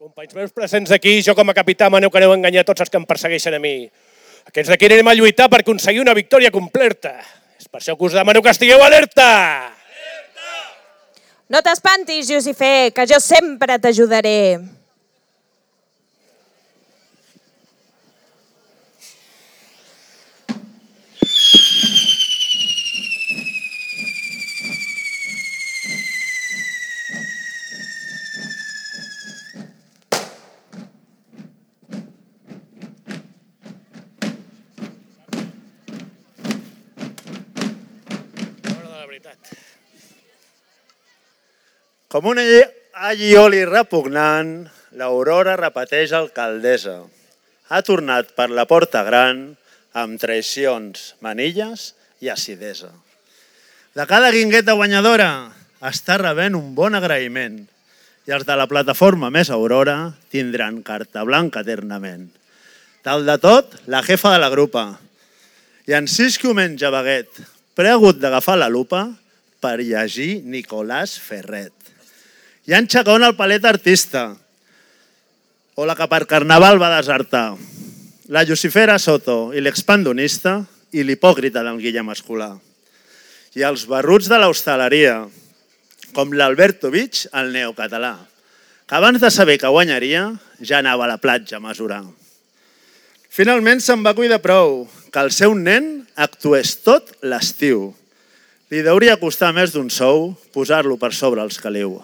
Companys meus presents aquí, jo com a capità maneu que aneu a enganyar tots els que em persegueixen a mi. Aquests d'aquí anirem a lluitar per aconseguir una victòria completa. És per això que us demano que estigueu alerta! No t'espantis, Llucifer, que jo sempre t'ajudaré. Com un allioli repugnant, l'Aurora repeteix alcaldessa. Ha tornat per la porta gran amb traicions, manilles i acidesa. De cada guingueta guanyadora està rebent un bon agraïment i els de la plataforma Més Aurora tindran carta blanca eternament. Tal de tot, la jefa de la grupa. I en Sisco menja baguet, però ha hagut d'agafar la lupa per llegir Nicolás Ferret. I en Chacón el palet artista, o la que per carnaval va desertar, la Lucifera Soto i l'expandonista i l'hipòcrita del Guillem Escolà. I els barruts de l'hostaleria, com l'Alberto Vich, el neocatalà, que abans de saber que guanyaria ja anava a la platja a mesurar. Finalment se'n va cuidar prou que el seu nen actués tot l'estiu. Li hauria costar més d'un sou posar-lo per sobre els caliu.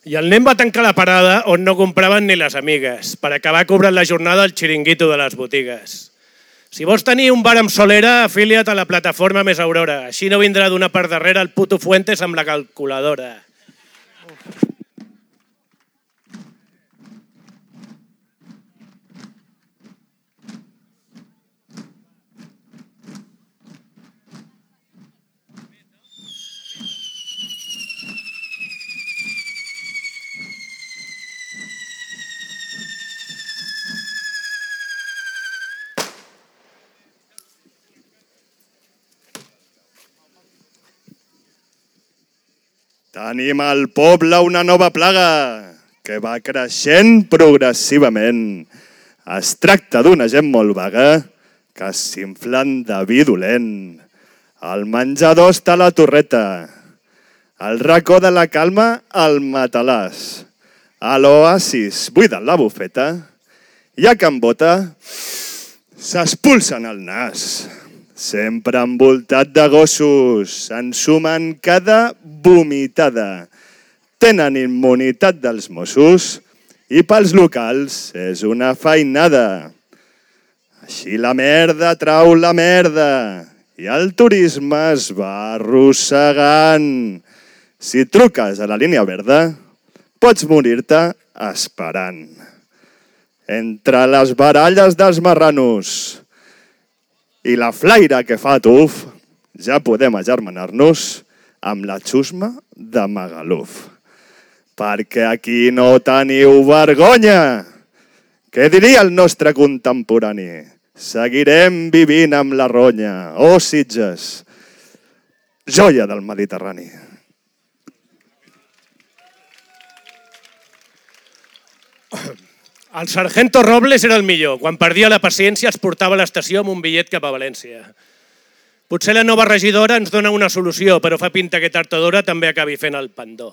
I el nen va tancar la parada on no compraven ni les amigues, per acabar cobrant la jornada al xiringuito de les botigues. Si vols tenir un bar amb solera, afilia't a la plataforma Més Aurora. Així no vindrà d'una part darrere el puto Fuentes amb la calculadora. Tenim al poble una nova plaga que va creixent progressivament. Es tracta d'una gent molt vaga que s'inflen de vi dolent. Al menjador està la torreta, al racó de la calma el matalàs, a l'oasis buiden la bufeta i a Can Bota s'expulsen el nas. Sempre envoltat de gossos, s'ensumen cada vomitada. Tenen immunitat dels Mossos i pels locals és una feinada. Així la merda trau la merda i el turisme es va arrossegant. Si truques a la línia verda, pots morir-te esperant. Entre les baralles dels marranos i la flaire que fa tuf, ja podem agermanar-nos amb la xusma de Magaluf. Perquè aquí no teniu vergonya. Què diria el nostre contemporani? Seguirem vivint amb la ronya. Oh, Sitges, joia del Mediterrani. El sargento Robles era el millor. Quan perdia la paciència els portava a l'estació amb un bitllet cap a València. Potser la nova regidora ens dona una solució, però fa pinta que tard o d'hora també acabi fent el pendó.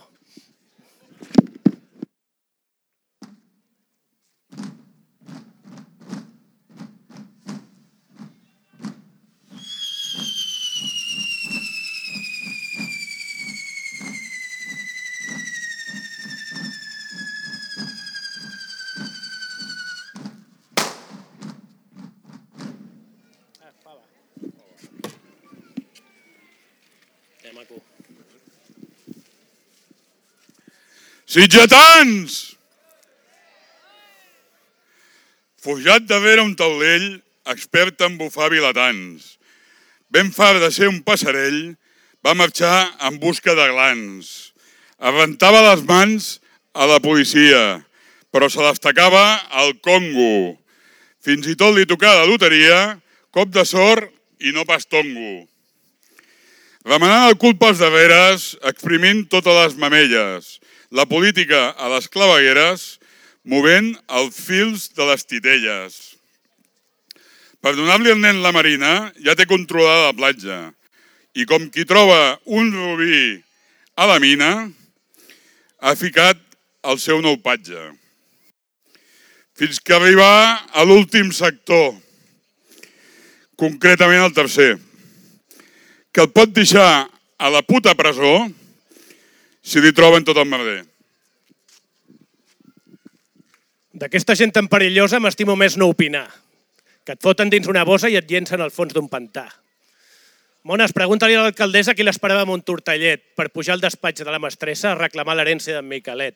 Sitgetans! Forjat de vera un taulell, expert en bufar vilatans. Ben fart de ser un passarell, va marxar en busca de glans. Arrentava les mans a la policia, però se les tacava al Congo. Fins i tot li tocava la loteria, cop de sort i no pas tongo. Remenant el cul pels darreres, exprimint totes les mamelles. la política a les clavegueres, movent els fils de les titelles. Per donar-li al nen la marina, ja té controlada la platja. I com qui troba un rubí a la mina, ha ficat el seu nou patge. Fins que arriba a l'últim sector, concretament al tercer, que el pot deixar a la puta presó si li troben tot el merder. D'aquesta gent tan perillosa m'estimo més no opinar, que et foten dins una bossa i et llencen al fons d'un pantà. Mones, pregunta-li a l'alcaldessa qui l'esperava amb un tortellet per pujar al despatx de la mestressa a reclamar l'herència d'en Miquelet.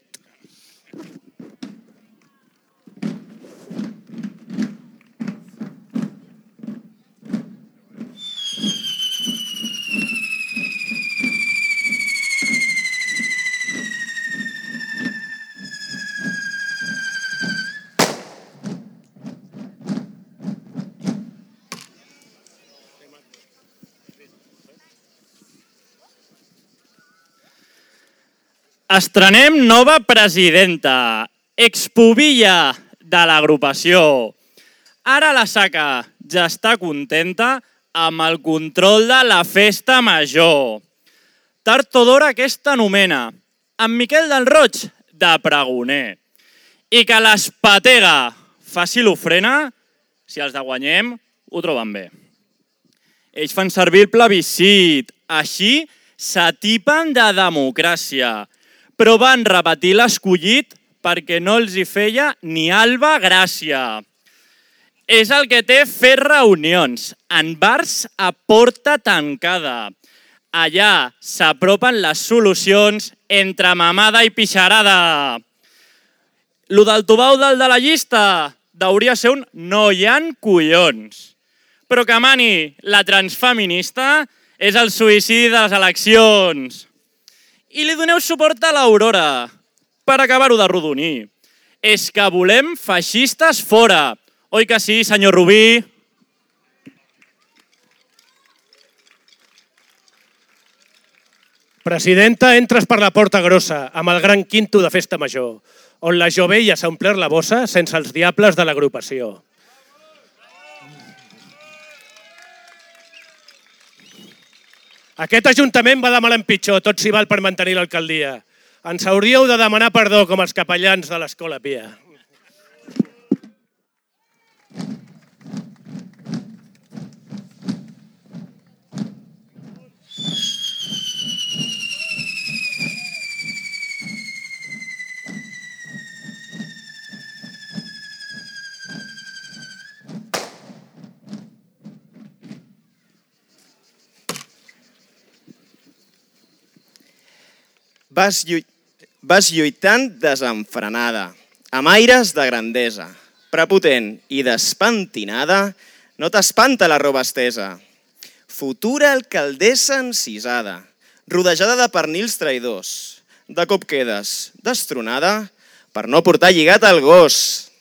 Estrenem nova presidenta, expubilla de l'agrupació. Ara la Saca ja està contenta amb el control de la festa major. Tard o d'hora aquesta nomena, amb Miquel del Roig de pregoner. I que l'espatega faci l'ofrena, si els de guanyem ho troben bé. Ells fan servir el plebiscit, així s'atipen de democràcia, però van repetir l'escollit perquè no els hi feia ni alba gràcia. És el que té fer reunions en bars a porta tancada. Allà s'apropen les solucions entre mamada i pixarada. Lo del tubau dalt de la llista hauria ser un no hi ha collons. Però que mani la transfeminista és el suïcidi de les eleccions. I li doneu suport a l'Aurora, per acabar-ho de rodonir. És que volem feixistes fora. Oi que sí, senyor Rubí? Presidenta, entres per la porta grossa, amb el gran quinto de festa major, on la jovella s'ha omplert la bossa sense els diables de l'agrupació. Aquest ajuntament va de mal en pitjor, tot s'hi val per mantenir l'alcaldia. Ens hauríeu de demanar perdó com els capellans de l'Escola Pia. Vas lluitant desenfrenada, amb aires de grandesa, prepotent i despentinada, no t'espanta la roba estesa. Futura alcaldessa encisada, rodejada de pernils traïdors, de cop quedes destronada per no portar lligat el gos.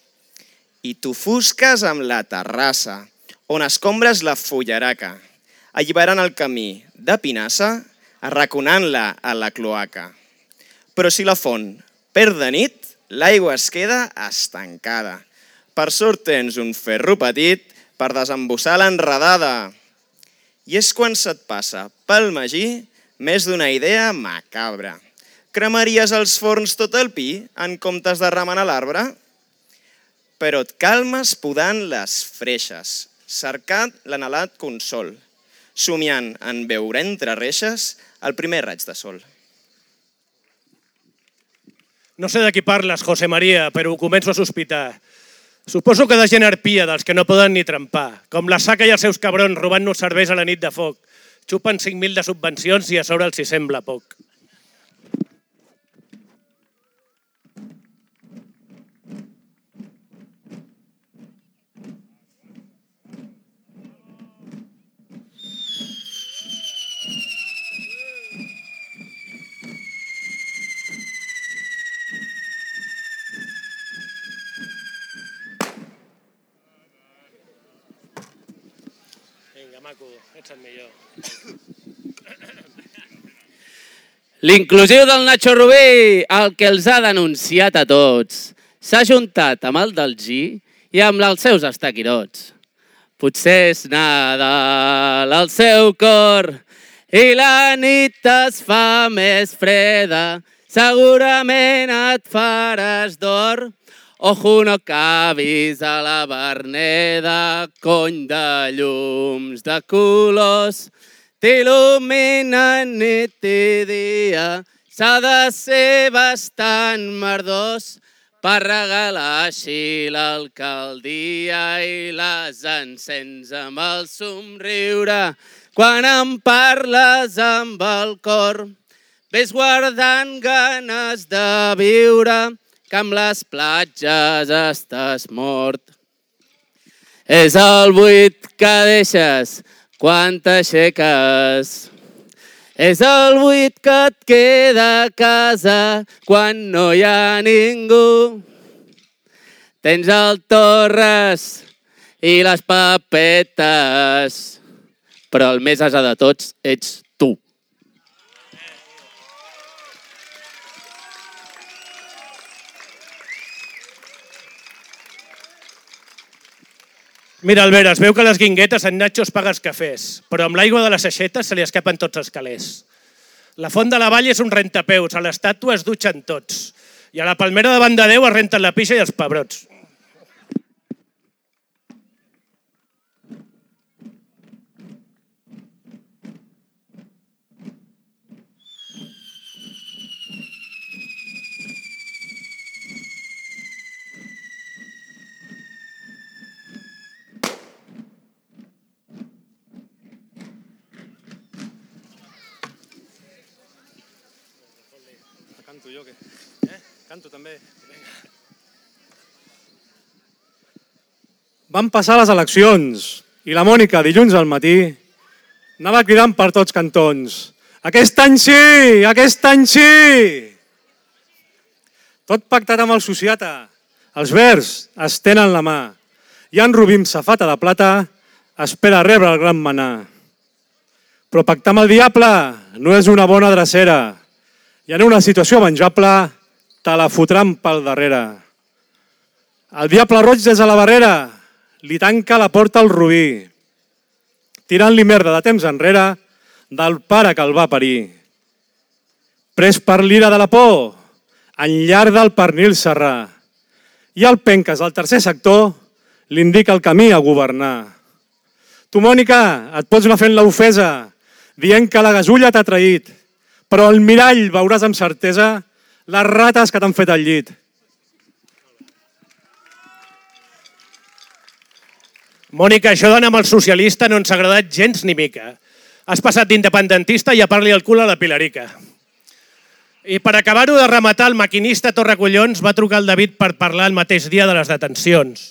I t'ofusques amb la terrassa, on escombres la fullaraca, alliberant el camí de pinassa, arraconant-la a la cloaca. Però si la font perd de nit, l'aigua es queda estancada. Per sort tens un ferro petit per desembossar l'enredada. I és quan se't passa pel magí més d'una idea macabra. Cremaries els forns tot el pi en comptes de remenar l'arbre? Però et calmes podant les freixes, cercant l'anhelat consol, somiant en veure entre reixes el primer raig de sol. No sé de qui parles, José María, però ho començo a sospitar. Suposo que de gent arpia, dels que no poden ni trempar. Com la Saca i els seus cabrons robant-nos serveis a la nit de foc. Xupen 5.000 de subvencions i a sobre els hi sembla poc. Vinga, maco, ets el millor. L'inclusiu del Nacho Rubí, el que els ha denunciat a tots, s'ha juntat amb el del G i amb els seus estaquirots. Potser és Nadal al seu cor i la nit es fa més freda, segurament et faràs d'or. Ojo, no cabis a la Verneda, cony de llums de colors, t'il·luminen nit i dia, s'ha de ser bastant merdós per regalar així l'alcaldia i les encens amb el somriure. Quan em parles amb el cor, ves guardant ganes de viure, que amb les platges estàs mort. És el buit que deixes quan t'aixeques. És el buit que et queda a casa quan no hi ha ningú. Tens el Torres i les papetes, però el més ase de tots ets tu. Mira, Albert, es veu que les guinguetes en Nacho es paga els cafès, però amb l'aigua de les aixetes se li escapen tots els calés. La font de la Vall és un rentapeus, a l'estàtua es dutxen tots, i a la palmera davant de Déu es renten la pixa i els pebrots. Canto també. Van passar les eleccions i la Mònica, dilluns al matí, anava cridant per tots cantons. Aquest any sí! Aquest any sí! Tot pactat amb el sociata. Els verds es tenen la mà. I en Rubí amb safata de plata espera rebre el gran manà. Però pactar amb el diable no és una bona drecera. I en una situació menjable te la fotran pel darrere. El diable roig des de la barrera li tanca la porta al Rubí, tirant-li merda de temps enrere del pare que el va parir. Pres per l'ira de la por, enllarda el pernil serrà, i el penques del tercer sector li indica el camí a governar. Tu, Mònica, et pots anar fent l'ofesa, dient que la gasulla t'ha traït, però al mirall veuràs amb certesa les rates que t'han fet al llit. Mònica, això d'anar amb el socialista no ens ha agradat gens ni mica. Has passat d'independentista i a parli el cul a la Pilarica. I per acabar-ho de rematar, el maquinista Torracollons va trucar al David per parlar el mateix dia de les detencions.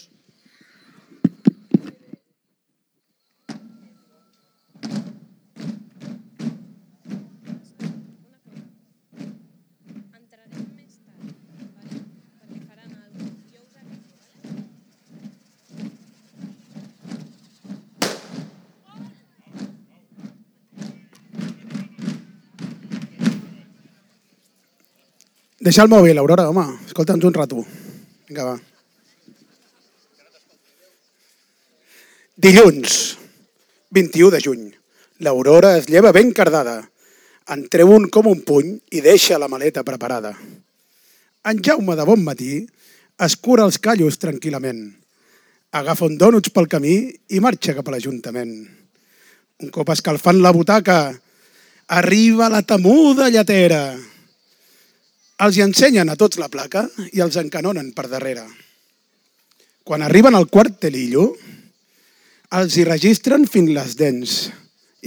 Deixa el mòbil, Aurora, home. Escolta'ns un rato. Vinga, va. Dilluns, 21 de juny. L'Aurora es lleva ben cardada. En treu un com un puny i deixa la maleta preparada. En Jaume, de bon matí, es cura els callos tranquil·lament. Agafa un dònuts pel camí i marxa cap a l'Ajuntament. Un cop escalfant la butaca, arriba la temuda lletera. Els hi ensenyen a tots la placa i els encanonen per darrere. Quan arriben al quart telillo, els hi registren fins les dents.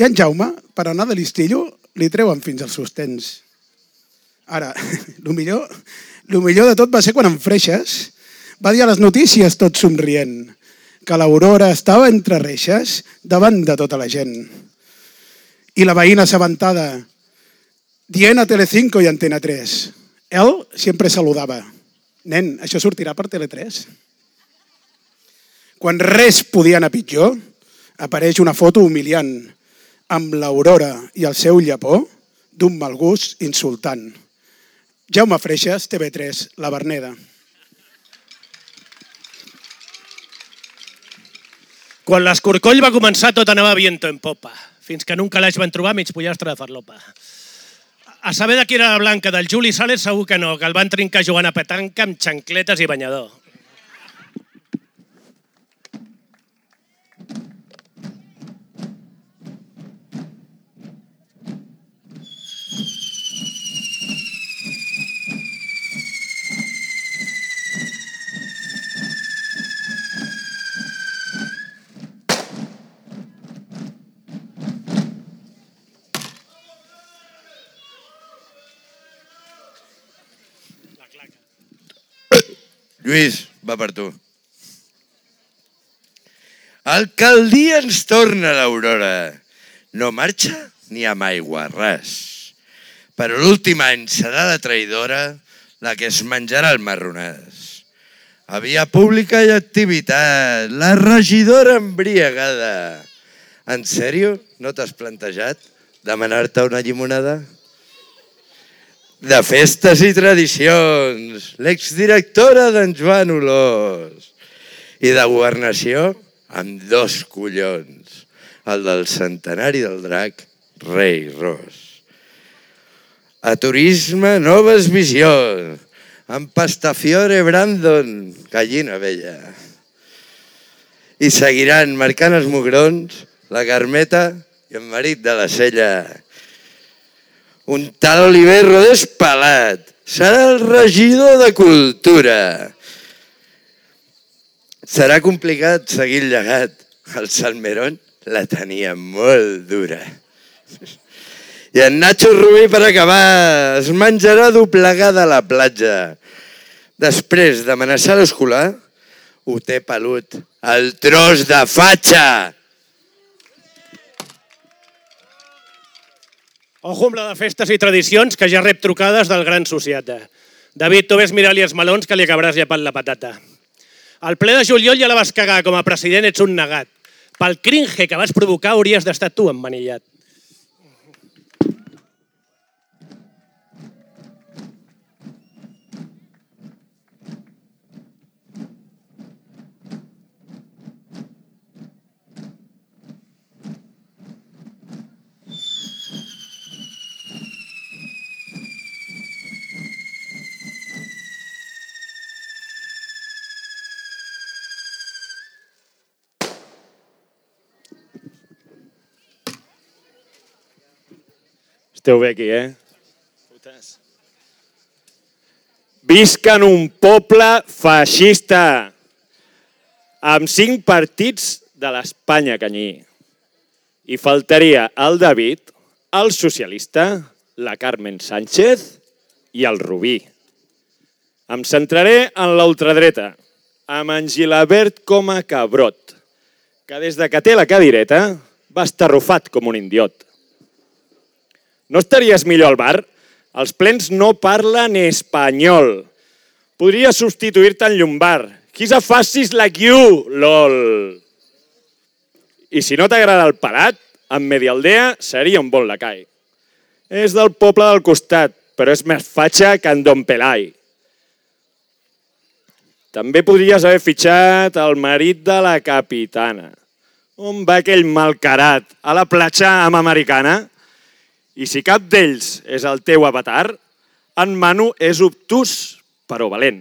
I en Jaume, per anar de listillo, li treuen fins als sostens. Ara, el millor de tot va ser quan en Freixes va dir a les notícies tot somrient que l'Aurora estava entre reixes davant de tota la gent. I la veïna assabentada, dient a Telecinco i Antena 3, ell sempre saludava. Nen, això sortirà per Tele3. Quan res podia anar pitjor, apareix una foto humiliant amb l'Aurora i el seu llepó d'un mal gust insultant. Jaume Freixas, TV3, La Verneda. Quan l'escorcoll va començar tot anava viento en popa, fins que en un calaix van trobar mig pollastre de farlopa. A saber de qui era la blanca, del Juli Sales segur que no, que el van trincar jugant a petanca amb xancletes i banyador. Lluís, va per tu. Alcaldia ens torna l'aurora. No marxa ni amb aigua, ras. Però l'últim any serà la traïdora la que es menjarà el marronàs. A via pública i activitat, la regidora embriagada. En sèrio? No t'has plantejat demanar-te una llimonada? De festes i tradicions, l'exdirectora d'en Joan Olós. I de governació, amb 2 collons, el del centenari del drac, Rei Ros. A turisme, noves visions, amb Pastafiore Brandon, gallina vella. I seguiran marcant els mugrons, la Carmeta i el marit de la Sella. Un tal Oliver Rodés pelat. Serà el regidor de Cultura. Serà complicat seguir el llegat. El Salmerón la tenia molt dura. I en Nacho Rubí, per acabar, es menjarà doblegada a la platja. Després d'amenaçar l'escolar, ho té pelut. El tros de fatxa! Ojo amb la de festes i tradicions, que ja rep trucades del gran sociata. David, tu ves mirar-li els melons que li acabaràs llepant la patata. Al ple de juliol ja la vas cagar, com a president ets un negat. Pel cringe que vas provocar hauries d'estar tu emmanillat. Esteu bé aquí, Visca en un poble feixista, amb 5 partits de l'Espanya canyí. Hi faltaria el David, el socialista, la Carmen Sánchez i el Rubí. Em centraré en la ultradreta, amb en Gilabert com a cabrot, que des de que té la cadireta va estar arrufat com un indiot. No estaries millor al bar? Els plens no parlen espanyol. Podria substituir-te en Llombard. Quizá facis like you, lol. I si no t'agrada el pelat, en Medialdea seria un bon lacai. És del poble del costat, però és més fatxa que en Don Pelai. També podries haver fitxat el marit de la capitana. On va aquell malcarat? A la platja amb americana? I si cap d'ells és el teu avatar, en Manu és obtús, però valent.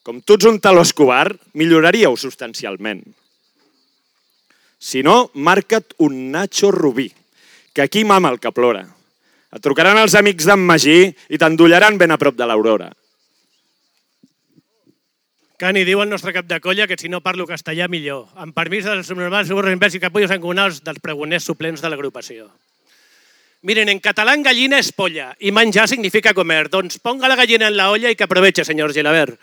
Com tu ets un taló Escobar, milloraríeu substancialment. Si no, marca't un Nacho Rubí, que aquí mama el que plora. Et trucaran els amics d'en Magí i t'endollaran ben a prop de l'Aurora. Cani, diu el nostre cap de colla que si no parlo castellà millor. Amb permís dels subnormals suburros i capullos encomunals dels pregoners suplents de l'agrupació. Miren, en catalán gallina es polla y manjar significa comer. Doncs ponga la gallina en la olla y que aproveche, señor Gilabert.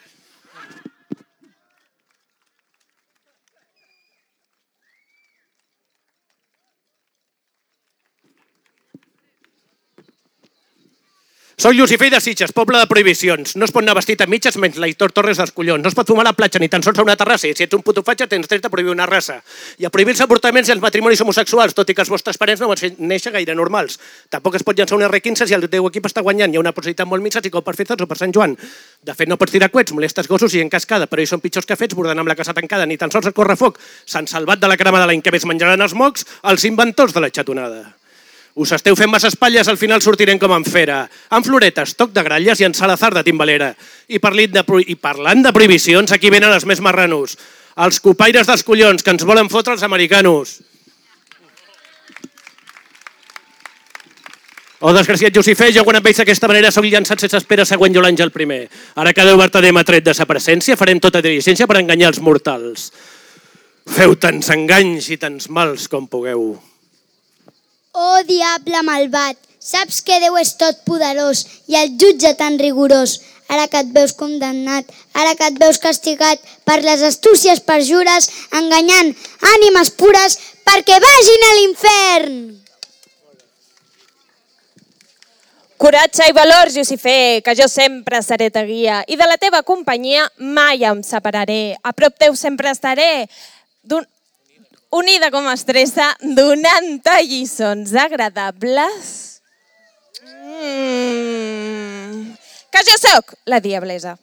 Soc Llucifer de Sitges, poble de prohibicions. No es pot anar vestit a mitges menys l'Aitor Torres dels collons. No es pot fumar a la platja ni tan sols a una terrassa. I si ets un puto fatxa tens dret a prohibir una raça. I a prohibir els avortaments i els matrimonis homosexuals, tot i que els vostres parents no van néixer gaire normals. Tampoc es pot llançar un R15 si el teu equip està guanyant. Hi ha una possibilitat molt minsa si cau per fets o per Sant Joan. De fet, no pots tirar coets, molestes gossos i en cascada, però ells són pitjors que fets, bordant amb la casa tancada. Ni tan sols el correfoc s'han salvat de la crema de l'any que més menjaran els mocs els inventors de la xatonada. Us esteu fent massa espatlles, al final sortirem com en fera. Amb floretes, toc de gralles i en Salazar de timbalera. I parlant de prohibicions, aquí venen els més marranos. Els copaires dels collons, que ens volen fotre els americanos. Oh, desgraciat Llucifer, jo quan em veig d'aquesta manera soc llançat sense espera següent jo l'Àngel primer. Ara que Déu vertader m'ha tret de sa presència, farem tota diligència per enganyar els mortals. Feu tants enganys i tants mals com pugueu. Oh, diable malvat, saps que Déu és tot poderós i el jutge tan rigorós. Ara que et veus condemnat, ara que et veus castigat per les astúcies perjures, enganyant ànimes pures perquè vagin a l'infern. Coratge i valor, Llucifer, que jo sempre seré ta guia i de la teva companyia mai em separaré. A prop teu sempre estaré, unida com a estressa, donant-te lliçons agradables. Que jo sóc la diablesa.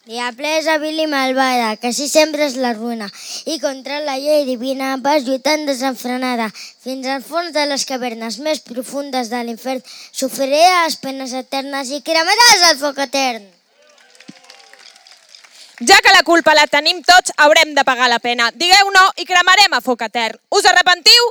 Diablesa vil i malvada, que així sempre és la ruïna, i contra la llei divina vas lluitant desenfrenada. Fins al fons de les cavernes més profundes de l'infern sofriré les penes eternes i cremaràs el foc etern. Ja que la culpa la tenim tots, haurem de pagar la pena. Digueu no i cremarem a foc etern. Us arrepentiu?